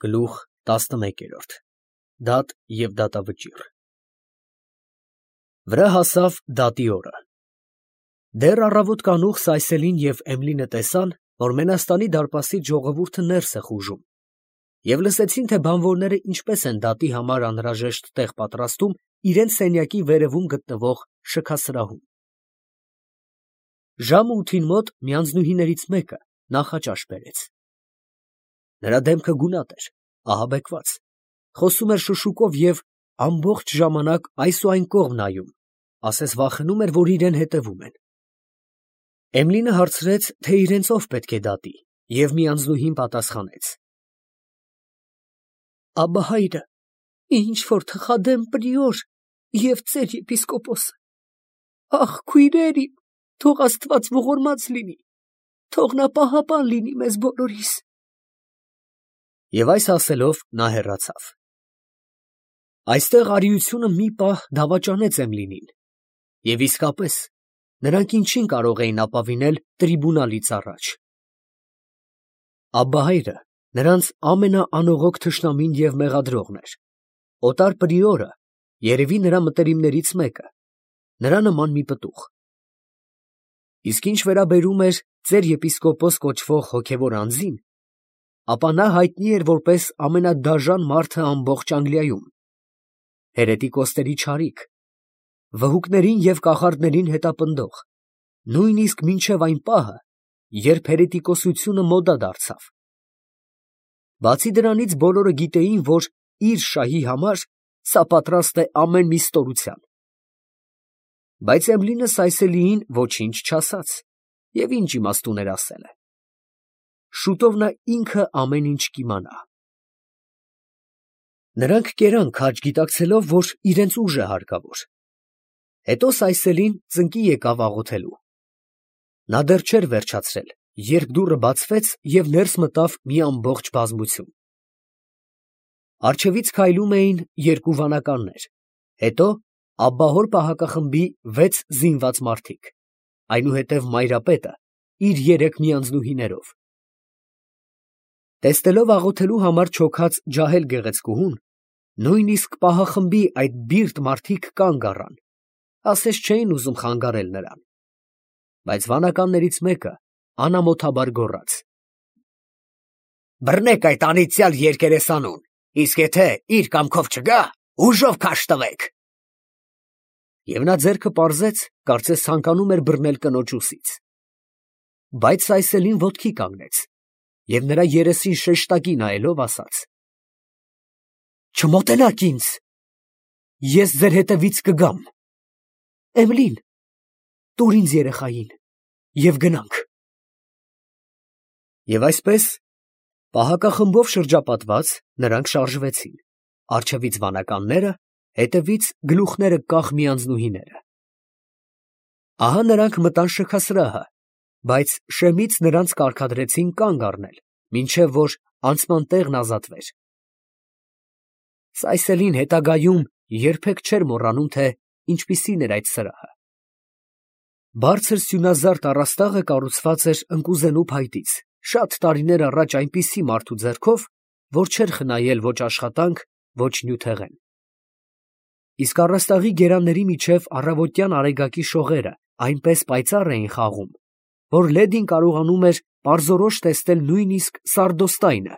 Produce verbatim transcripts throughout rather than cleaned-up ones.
Գլուխ տասնմեկերորդ դատ և դատավճիռ Վրա հասավ դատի օրը։ Դեռ առավոտ կանուխ Սայսելին և Էմլինը տեսան, որ Մենաստանի դարպասից ժողովուրդը ներս է խուժում, և լսեցին, թե բանվորները ինչպես են դատի համար անհրաժեշտ տեղ պատրաստում իրենց սենյակի վերևում գտնվող շքասրահում։ Ժամը ութին մոտ մի անձնուհիներից մեկը նախաճաշ բերեց։ Նրա դեմքը գունատ էր, ահաբեկված, խոսում էր շշուկով և ամբողջ ժամանակ այս ու այն կողմ նայում, ասես վախենում էր, որ իրան հետևում են։ Էմլինը հարցրեց, թե իրենց ով պետք է դատի, և մի անձնուհին պատասխանեց. Աբբահայրը, ինչ-որ թխադեմ պրիոր և ծեր եպիսկոպոսը, ախ, քույրեր իմ, թող Աստված ողորմած լինի, թող նա պահապան լինի մեզ բոլորիս։ Եվ այս ասելով նա հեռացավ։ Այստեղ արիությունը մի պահ դավաճանեց Էմլինին, և իսկապես նրանք ինչին կարող էին ապավինել տրիբունալից առաջ։ Աբբահայրը նրանց ամենաանողոք թշնամին և մեղադրողն էր, օտար պրիորը, երևի նրա մտերիմներից մեկը, նրա նման մի պտուղ։ Իսկ ինչ վերաբերում էր ծեր եպիսկոպոս կոչվող հոգևոր անձին, ապա նա հայտնի էր որպես ամենադաժան մարդը ամբողջ Անգլիայում, հերետիկոսների չարիք, վհուկներին և կախարդներին հետապնդող, նույնիսկ մինչև այն պահը, երբ հերետիկոսությունը մոդա դարձավ։ Բացի դրանից բոլորը գիտեին, որ իր շահի համար սա պատրաստ է ամեն մի ստորության։ Բայց Էմլինը Սայսելիին ոչինչ չասաց, և ինչ իմաստ ուներ ասելը։ Շուտով նա ինքը ամեն ինչ կիմանա։ Նրանք կերան քաջ գիտակցելով, որ իրենց ուժ է հարկավոր։ Հետո Սայսելին ծնկի եկավ աղոթելու։ Նա դեռ չէր վերջացրել, երբ դուռը բացվեց և ներս մտավ մի ամբողջ բազմություն։ Առջևից քայլում էին երկու վանականներ, հետո աբբահոր պահակախմբի վեց զինված մարդիկ, այնուհետև մայրապետը իր երեք միանձնուհիներով։ Տեսնելով աղոթելու համար չոքած ջահել գեղեցկուհուն, նույնիսկ պահախմբի այդ բիրտ մարդիկ կանգ առան, ասես չէին ուզում խանգարել նրան։ Բայց վանականներից մեկը անամոթաբար գոռաց. «Բռնեք այդ անիծյալ երկերեսանուն, իսկ եթե իր կամքով չգա, ուժով քաշ տվեք»։ Եվ նա ձեռքը պարզեց, կարծես ցանկանում էր բռնել կնոջ ուսից։ Բայց Սայսելին ոտքի կանգնեց և նրա երեսին շեշտակի նայելով ասաց. «Չմոտենաք ինձ, ես ձեր հետևից կգամ։ Էմլին, տուր ինձ երեխային և գնանք»։ Եվ այսպես, պահակախմբով շրջապատված, նրանք շարժվեցին, առջևից վանականները, հետևից գլուխները կախ միանձնուհիները։ Ահա նրանք մտան շքասրահը, բայց շեմից նրանց կարգադրեցին կանգ առնել, մինչև որ անցման տեղն ազատվեր։ Սայսելին հետագայում երբեք չէր մոռանում, թե ինչպիսին էր այդ սրահը։ Բարձր սյունազարդ առաստաղը կառուցված էր ընկուզենու փայտից, շատ տարիներ առաջ այնպիսի մարդու ձեռքով, որ չէր խնայել ոչ աշխատանք, ոչ նյութեղեն։ Իսկ առաստաղի գերանների միջև առավոտյան արեգակի շողերը այնպես պայծառ էին խաղում, որ լեդին կարողանում էր պարզորոշ տեսնել նույնիսկ սարդոստայնը,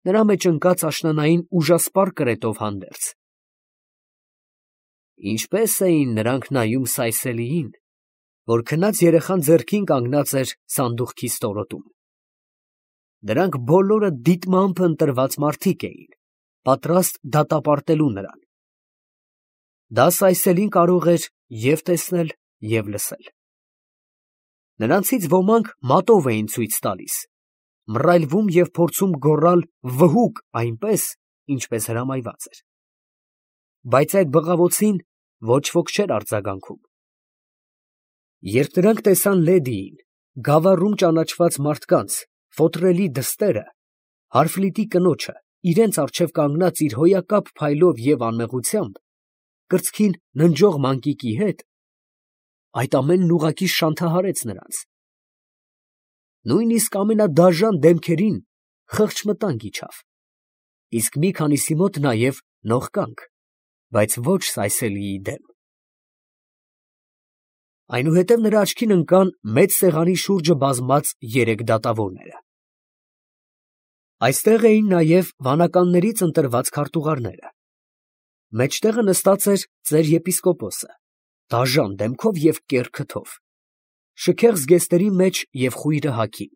նրա մեջ ընկած աշնանային ուժասպառ կրետով հանդերձ։ Ինչպես էին նրանք նայում Սայսելիին, որ քնած երեխան ձեռքին կանգնած էր սանդուղքի ստորոտում։ Դրանք բոլորը դիտմամբ ընտրված մարդիկ էին, պատրաստ դատապարտելու նրան։ Դա Սայսելին կարող էր և տեսնել, և լսել։ Նրանցից ոմանք մատով էին ցույց տալիս, մռայլվում և փորձում գոռալ վհուկ այնպես, ինչպես հրամայված էր։ Բայց այդ բղավոցին ոչ ոք չէր արձագանքում։ Երբ նրանք տեսան լեդիին, գավառում ճանաչված մարդկանց, ֆոթրելի դստերը, հարֆլիտի կնոջը, իրենց առջև կանգնած իր հոյակապ փայլով և անմեղությամբ, կրծքին ննջող մանկիկի հետ, այդ ամենն ուղղակի շանթահարեց նրանց։ Նույնիսկ ամենադաժան դեմքերին խղճմտանք իջավ։ իսկ մի քանիսի մոտ նաև նողկանք, բայց ոչ Սայսելիի դեմ։ Այնուհետև նրա աչքին ընկան մեծ սեղանի շուրջը բազմած երեք դատավորները։ Այստեղ էին նաև վանականներից ընտրված քարտուղարները։ Մեջտեղը նստած էր ծեր եպիսկոպոսը, դաժան դեմքով և կեռ քթով, շքեղ զգեստերի մեջ և խույրը հագին։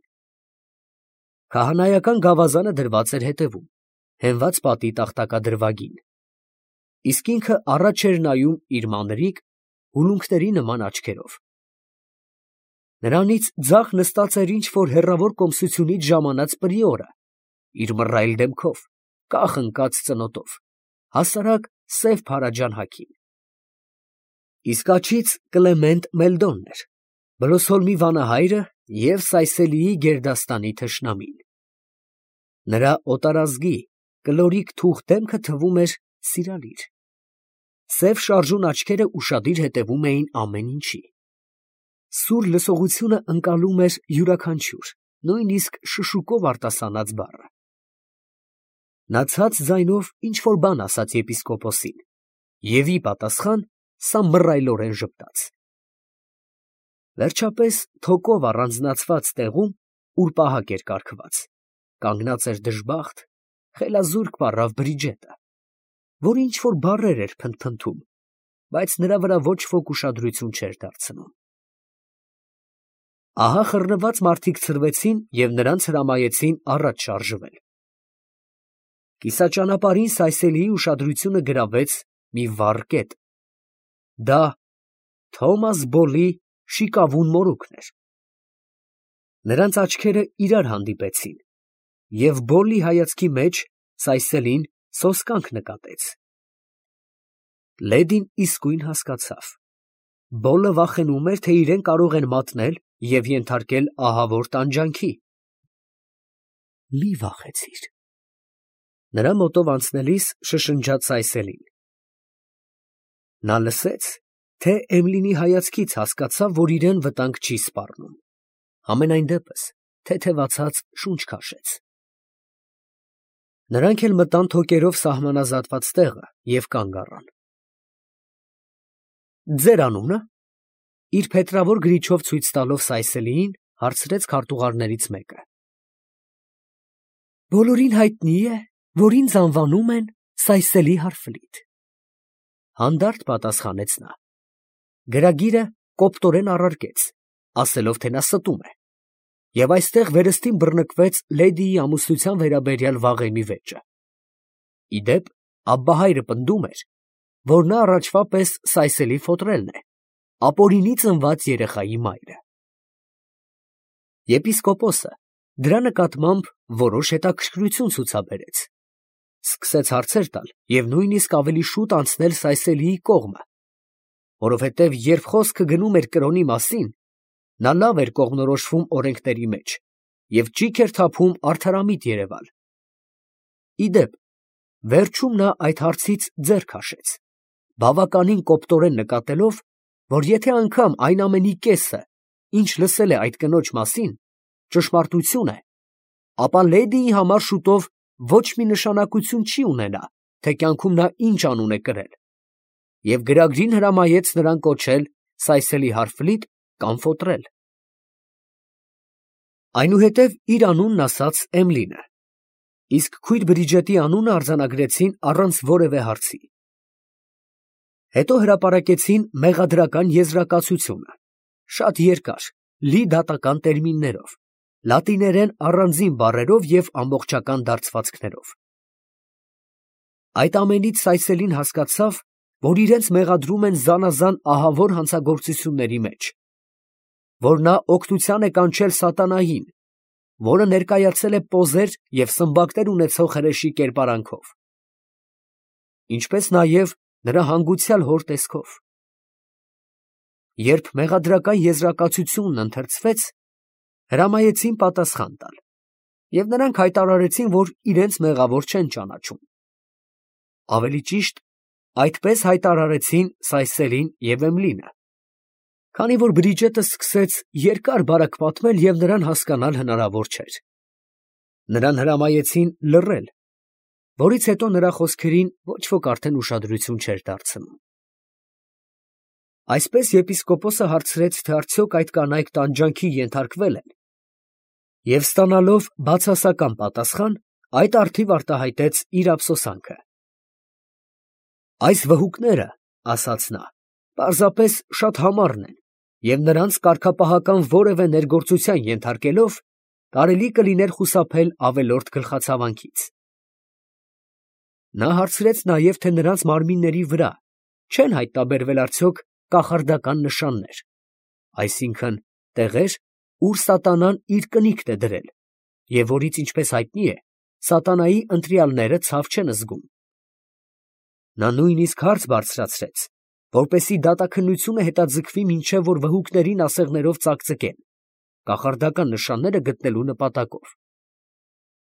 Քահանայական գավազանը դրված էր հետևում, հենված պատի տախտակադրվագին, իսկ ինքը առաջ էր նայում իր մանրիկ, հուլունքների նման աչքերով։ Նրանից ձախ նստած էր ինչ֊որ հեռավոր կոմսությունից ժամանած պրիորը, իր մռայլ դեմքով, կախ ընկած ծնոտով, հասարակ սև փարաջան հագին։ Իսկ աջից Կլեմենտ Մելդոնն էր, Բլոսհոլմի վանահայրը և Սայսելիի գերդաստանի թշնամին։ Նրա օտարազգի, կլորիկ թուխ դեմքը թվում էր սիրալիր։ Սև շարժուն աչքերը ուշադիր հետևում էին ամեն ինչի։ Սուր լսողությունը ընկալում էր յուրաքանչյուր, նույնիսկ շշուկով արտասանած բառը։ Նա ցած ձայնով ինչ֊որ բան ասաց եպիսկոպոսին, և ի պատասխան սա մռայլորեն ժպտաց։ Վերջապես թոկով առանձնացված տեղում, ուր պահակ էր կարգված, կանգնած էր դժբախտ, խելազուրկ պառավ Բրիջետը, որ ինչ֊որ բառեր էր փնթփնթում, բայց նրա վրա ոչ ոք ուշադրություն չէր դարձնում։ Ահա խռնված մարդիկ ցրվեցին և նրանց հրամայեցին առաջ շարժվել։ Կիսաճանապարհին Սայսելիի ուշադրությունը գրավեց մի վառ կետ։ Դա Թոմաս Բոլի շիկավուն մորուքն էր։ Նրանց աչքերը իրար հանդիպեցին, և Բոլլի հայացքի մեջ Սայսելին սոսկանք նկատեց։ Լեդին իսկույն հասկացավ. Բոլը վախենում էր, թե իրեն կարող են մատնել և ենթարկել ահավոր տանջանքի։ Մի վախեցիր, նրա մոտով անցնելիս շշնջաց Սայսելին։ Նա լսեց, թե Էմլինի հայացքից հասկացավ, որ իրան վտանգ չի սպառնում, համենայն դեպս թեթևացած շունչ քաշեց։ Նրանք էլ մտան թոկերով սահմանազատված տեղը և կանգ առան։ Ձեր անունը, ֊ իր փետրավոր գրիչով ցույց տալով Սայսելիին, հարցրեց քարտուղարներից մեկը։ Բոլորին հայտնի է, որ ինձ անվանում են Սայսելի Հարֆլիտ, ֊ հանդարտ պատասխանեց նա։ Գրագիրը կոպտորեն առարկեց, ասելով, թե նա ստում է, և այստեղ վերստին բռնկվեց լեդիի ամուսնության վերաբերյալ վաղեմի վեճը։ Ի դեպ, Աբբահայրը պնդում էր, որ նա առաջվա պես Սայսելի Ֆոտրելն է, ապօրինի ծնված երեխայի մայրը։ Եպիսկոպոսը դրա նկատմամբ որոշ հետաքրքրություն ցուցաբերեց, սկսեց հարցեր տալ և նույնիսկ ավելի շուտ անցնել Սայսելիի կողմը, որովհետև երբ խոսքը գնում էր կրոնի մասին, նա լավ էր կողմնորոշվում օրենքների մեջ և ճիգ էր թափում արդարամիտ երևալ։ Ի դեպ, վերջում նա այդ հարցից ձեռ քաշեց, բավականին կոպտորեն նկատելով, որ եթե անգամ այն ամենի կեսը, ինչ լսել է այդ կնոջ մասին, ճշմարտություն է, ապա լեդիի համար շուտով ոչ մի նշանակություն չի ունենա, թե կյանքում նա ինչ անուն է կրել, և գրագրին հրամայեց նրան կոչել Սայսելի Հարֆլիտ կամ Ֆոտրել։ Այնուհետև իր անունն ասաց Էմլինը, իսկ քույր Բրիջետի անունը արձանագրեցին առանց որևէ հարցի։ Հետո հրապարակեցին մեղադրական եզրակացությունը, շատ երկար, լի դատական տերմիններով, լատիներեն առանձին բառերով և ամբողջական դարձվածքներով։ Այդ ամենից Սայսելին հասկացավ, որ իրենց մեղադրում են զանազան ահավոր հանցագործությունների մեջ, որ նա օգնության է կանչել սատանային, որը ներկայացել է պոզեր և սմբակներ ունեցող հրեշի կերպարանքով, ինչպես նաև նրա հանգուցյալ հոր տեսքով։ Երբ մեղադրական եզրակացությունն ընթերցվեց, հրամայեցին պատասխան տալ, և նրանք հայտարարեցին, որ իրենց մեղավոր չեն ճանաչում։ Ավելի ճիշտ, այդպես հայտարարեցին Սայսելին և Էմլինը, քանի որ Բրիջետը սկսեց երկար բարակ պատմել և նրան հասկանալ հնարավոր չէր։ Նրան հրամայեցին լռել, որից հետո նրա խոսքերին ոչ ոք արդեն ուշադրություն չէր դարձնում։ Այսպես եպիսկոպոսը հարցրեց, թե արդյոք այդ կանայք տանջանքի ենթարկվել են, և ստանալով բացասական պատասխան, այդ առթիվ արտահայտեց իր ափսոսանքը։ Այս վհուկները, ասաց նա, պարզապես շատ համառն են, և նրանց կարգապահական որևէ ներգործության ենթարկելով, կարելի կլիներ խուսափել ավելորդ գլխացավանքից։ Նա հարցրեց նաև, թե նրանց մարմինների վրա չեն հայտնաբերվել արդյոք կախարդական նշաններ, այսինքն տեղեր, ուր սատանան իր կնիքն է դրել, և որից, ինչպես հայտնի է, սատանայի ընտրյալները ցավ չեն զգում։ Նա նույնիսկ հարց բարձրացրեց, որպեսզի դատաքննությունը հետաձգվի, մինչև որ վհուկներին ասեղներով ծակծկեն, կախարդական նշանները գտնելու նպատակով,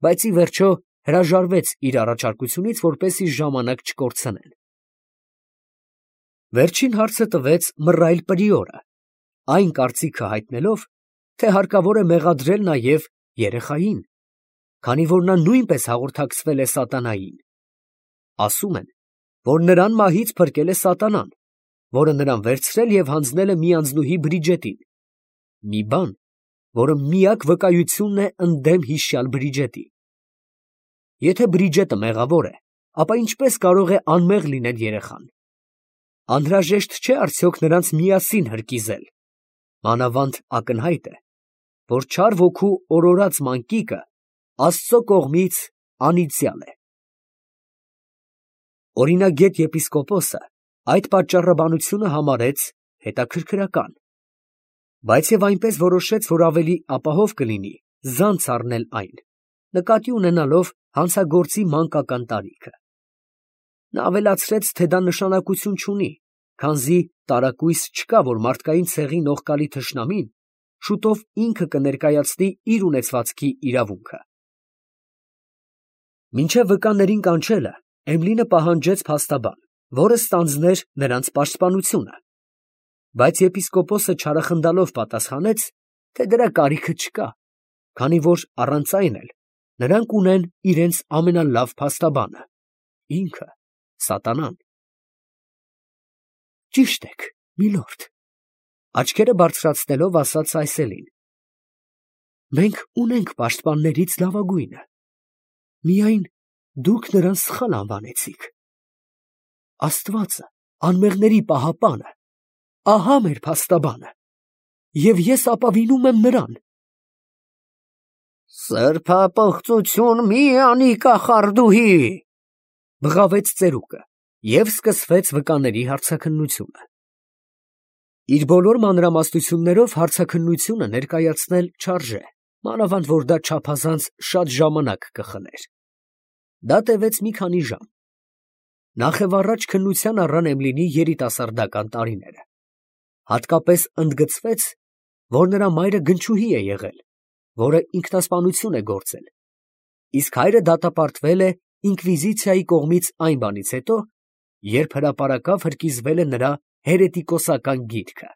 բայց ի վերջո հրաժարվեց իր առաջարկությունից, որպեսզի ժամանակ չկորցնեն։ Վերջին հարցը տվեց մռայլ պրիորը, այն կարծիքը հայտնելով, թե հարկավոր է մեղադրել նաև երեխային, քանի որ նա նույնպես հաղորդակցվել է սատանային։ Ասում են, որ նրան մահից փրկել է սատանան, որը նրան վերցրել և հանձնել է մի անձնուհի Բրիջետին, մի բան, որը միակ վկայությունն է ընդդեմ հիշյալ Բրիջետի։ Եթե Բրիջետը մեղավոր է, ապա ինչպես կարող է անմեղ լինել երեխան։ Անհրաժեշտ չէ արդյոք նրանց միասին հրկիզել, մանավանդ ակնհայտ է, որ չար ոգու օրորած մանկիկը Աստծո կողմից անիծյալ է։ Օրինագետ եպիսկոպոսը այդ պատճառաբանությունը համարեց հետաքրքրական, բայց և այնպես որոշեց, որ ավելի ապահով կլինի զանց առնել այն, նկատի ունենալով հանցագործի մանկական տարիքը։ Նա ավելացրեց, թե դա նշանակություն չունի, քանզի տարակույս չկա, որ մարդկային ցեղի նողկալի թշնամին շուտով ինքը կներկայացնի իր ունեցվածքի իրավունքը։ Մինչև վկաներին կանչելը Էմլինը պահանջեց փաստաբան, որը ստանձներ նրանց պաշտպանությունը, բայց եպիսկոպոսը չարախնդալով պատասխանեց, թե դրա կարիքը չկա, քանի որ առանց այն էլ նրանք ունեն իրենց ամենալավ փաստաբանը, ինքը սատանան։ Ճիշտ եք, միլորդ, աչքերը բարձրացնելով ասաց Այսելին, մենք ունենք պաշտպաններից լավագույնը, միայն դուք նրան սխալ անվանեցիք։ Աստվածը, անմեղների պահապանը, ահա մեր փաստաբանը, և ես ապավինում եմ նրան։ Սրբապղծություն մի անի կախարդուհի, բղավեց ծերուկը, և սկսվեց վկաների հարցաքննությունը։ Իր բոլոր մանրամասնություններով հարցաքննությունը ներկայացնել չարժե, մանավանդ որ դա չափազանց շատ ժամանակ կխլեր։ Դա տևեց մի քանի ժամ։ Նախևառաջ քննության առան Էմլինի երիտասարդական տարիները, հատկապես ընդգծվեց, որ նրա մայրը գնչուհի է եղել, որը ինքնասպանություն է գործել, իսկ հայրը դատապարտվել է ինկվիզիցիայի կողմից այն բանից հետո, երբ հրապարակավ հրկիզվել է նրա հերետիկոսական գիրքը։